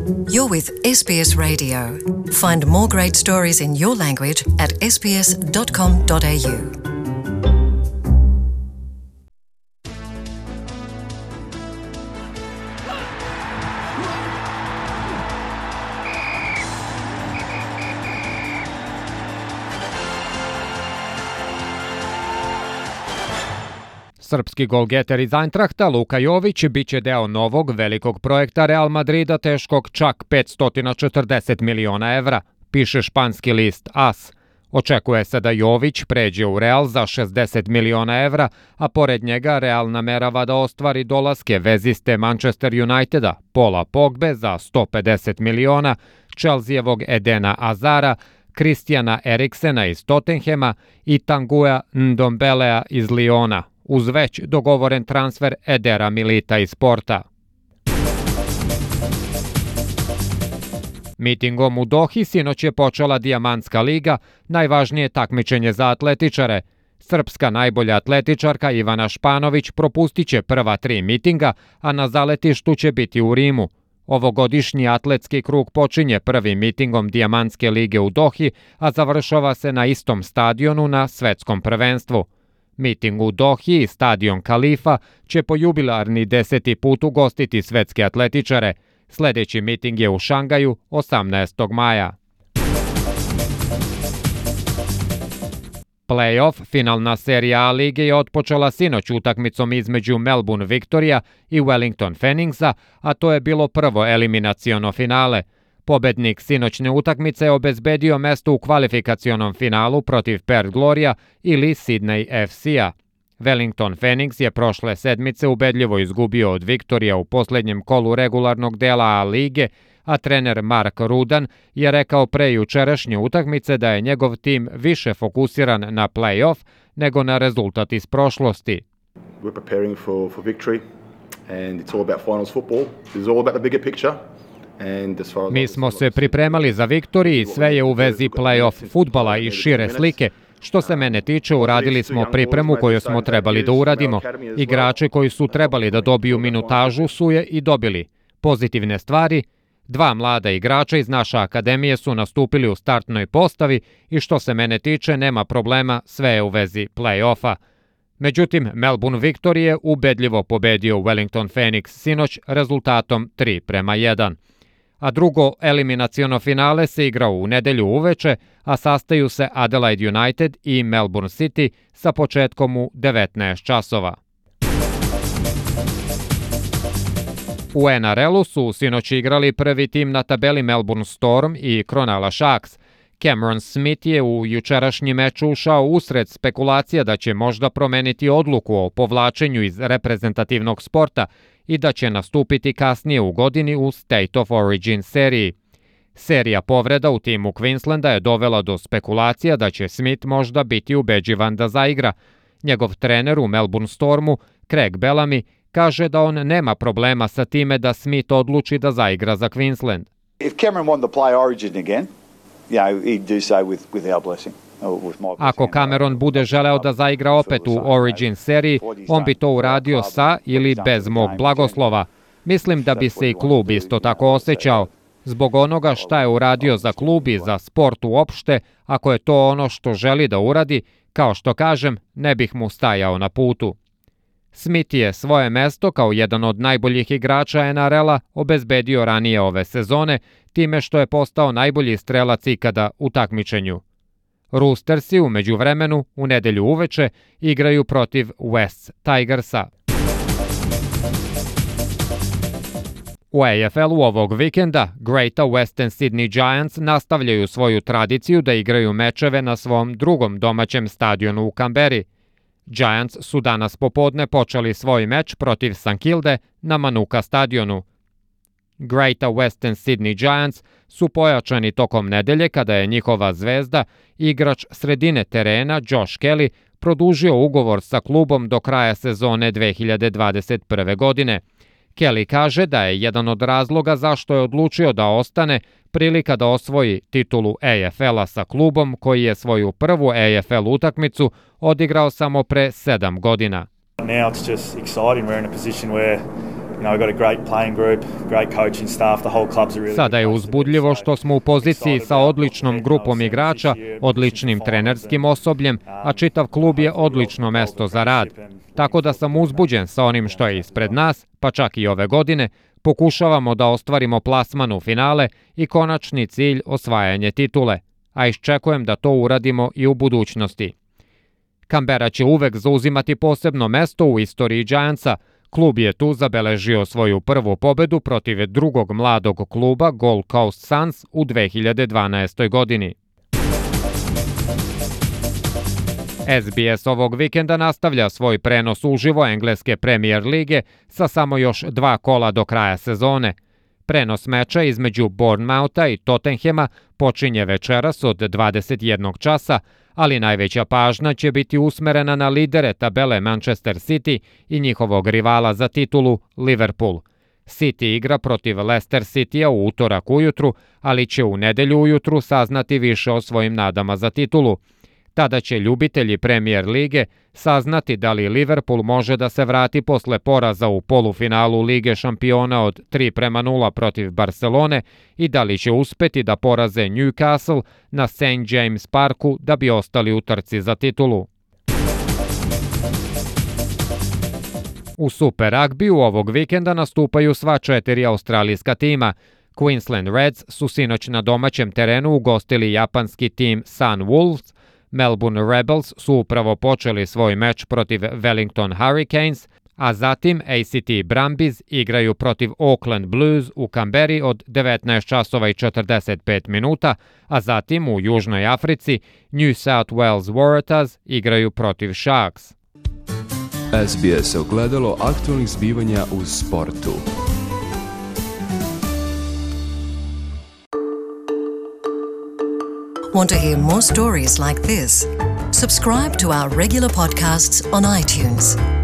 You're with SBS Radio. Find more great stories in your language at sbs.com.au. Srpski golgeter iz Eintrachta Luka Jović biće deo novog velikog projekta Real Madrida teškog čak 540 miliona evra, piše španski list AS. Očekuje se da Jović pređe u Real za 60 miliona evra, a pored njega Real namerava da ostvari dolaske veziste Manchester Uniteda, Paula Pogbe za 150 miliona, Chelseavog Edena Azara, Christiana Eriksena iz Tottenhema i Tanguya Ndombelea iz Liona, uz već dogovoren transfer Edera Milita iz Porta. Mitingom u Dohi sinoć je počela Dijamantska liga, najvažnije takmičenje za atletičare. Srpska najbolja atletičarka Ivana Španović propustit će prva 3 mitinga, a na zaletištu će biti u Rimu. Ovogodišnji atletski krug počinje prvim mitingom Dijamantske lige u Dohi, a završava se na istom stadionu na svetskom prvenstvu. Miting u Dohi i stadion Kalifa će po jubilarni 10. put ugostiti svetske atletičare. Sljedeći miting je u Šangaju 18. maja. Play-off, finalna serija A lige je otpočela sinoć utakmicom između Melbourne Victoria i Wellington Phoenixa, a to je bilo prvo eliminaciono finale. Pobednik sinoćne utakmice je obezbedio mesto u kvalifikacionom finalu protiv Perth Gloria ili Sydney FC-a. Wellington Phoenix je prošle sedmice ubedljivo izgubio od Victoria u posljednjem kolu regularnog dela A lige, a trener Mark Rudan je rekao pre jučerašnje utakmice da je njegov tim više fokusiran na play-off nego na rezultat iz prošlosti. We're preparing for victory and it's all about finals football. It's all about the bigger picture. Mi smo se pripremali za Viktoriji i sve je u vezi play-off fudbala i šire slike. Što se mene tiče, uradili smo pripremu koju smo trebali da uradimo. Igrači koji su trebali da dobiju minutažu su je i dobili. Pozitivne stvari, 2 mlada igrača iz naše akademije su nastupili u startnoj postavi i što se mene tiče nema problema, sve je u vezi play-offa. Međutim, Melbourne Victory je ubedljivo pobedio Wellington Phoenix sinoć rezultatom 3:1. A drugo eliminaciono finale se igra u nedelju uveče, a sastaju se Adelaide United i Melbourne City sa početkom u 19 časova. U NRL-u su sinoć igrali prvi tim na tabeli Melbourne Storm i Cronulla Sharks. Cameron Smith je u jučerašnji meč ušao usred spekulacija da će možda promeniti odluku o povlačenju iz reprezentativnog sporta i da će nastupiti kasnije u godini u State of Origin seriji. Serija povreda u timu Queenslanda je dovela do spekulacija da će Smith možda biti ubeđivan da zaigra. Njegov trener u Melbourne Stormu, Craig Bellamy, kaže da on nema problema sa time da Smith odluči da zaigra za Queensland. If Cameron wanted to play Origin again, he'd do so with our blessing. Ako Cameron bude želeo da zaigra opet u Origin seriji, on bi to uradio sa ili bez mog blagoslova. Mislim da bi se i klub isto tako osjećao. Zbog onoga šta je uradio za klub i za sport uopšte, ako je to ono što želi da uradi, kao što kažem, ne bih mu stajao na putu. Smith je svoje mesto kao jedan od najboljih igrača NRL-a obezbedio ranije ove sezone, time što je postao najbolji strelac ikada u takmičenju. Roostersi u međuvremenu u nedelju uveče igraju protiv West Tigersa. U AFL-u ovog vikenda Greater Western Sydney Giants nastavljaju svoju tradiciju da igraju mečeve na svom drugom domaćem stadionu u Canberri. Giants su danas popodne počeli svoj meč protiv St Kilde na Manuka stadionu. Greater Western Sydney Giants su pojačani tokom nedelje kada je njihova zvezda, igrač sredine terena Josh Kelly, produžio ugovor sa klubom do kraja sezone 2021. godine. Kelly kaže da je jedan od razloga zašto je odlučio da ostane prilika da osvoji titulu AFL-a sa klubom koji je svoju prvu AFL utakmicu odigrao samo pre 7 godina. Now it's just exciting. We're in a position where Sada je uzbudljivo što smo u poziciji sa odličnom grupom igrača, odličnim trenerskim osobljem, a čitav klub je odlično mesto za rad. Tako da sam uzbuđen sa onim što je ispred nas, pa čak i ove godine, pokušavamo da ostvarimo plasman u finale i konačni cilj osvajanje titule, a iščekujem da to uradimo i u budućnosti. Canberra će uvek zauzimati posebno mesto u istoriji Giantsa. Klub je tu zabeležio svoju prvu pobedu protiv drugog mladog kluba Gold Coast Suns u 2012. godini. SBS ovog vikenda nastavlja svoj prenos uživo engleske Premier lige sa samo još 2 kola do kraja sezone. Prenos meča između Bournemoutha i Tottenhama počinje večeras od 21 časa, ali najveća pažnja će biti usmerena na lidere tabele Manchester City i njihovog rivala za titulu Liverpool. City igra protiv Leicester Citya u utorak ujutru, ali će u nedelju ujutru saznati više o svojim nadama za titulu. Tada će ljubitelji Premier lige saznati da li Liverpool može da se vrati posle poraza u polufinalu Lige šampiona od 3-0 protiv Barcelone i da li će uspeti da poraze Newcastle na St. James Parku da bi ostali u trci za titulu. U Super Rugbyu ovog vikenda nastupaju sva 4 australijska tima. Queensland Reds su sinoć na domaćem terenu ugostili japanski tim Sun Wolves, Melbourne Rebels su upravo počeli svoj meč protiv Wellington Hurricanes, a zatim ACT Brumbies igraju protiv Auckland Blues u Canberri od 19:45, a zatim u Južnoj Africi New South Wales Waratahs igraju protiv Sharks. SBS ogledalo aktualnih zbivanja u sportu. Want to hear more stories like this? Subscribe to our regular podcasts on iTunes.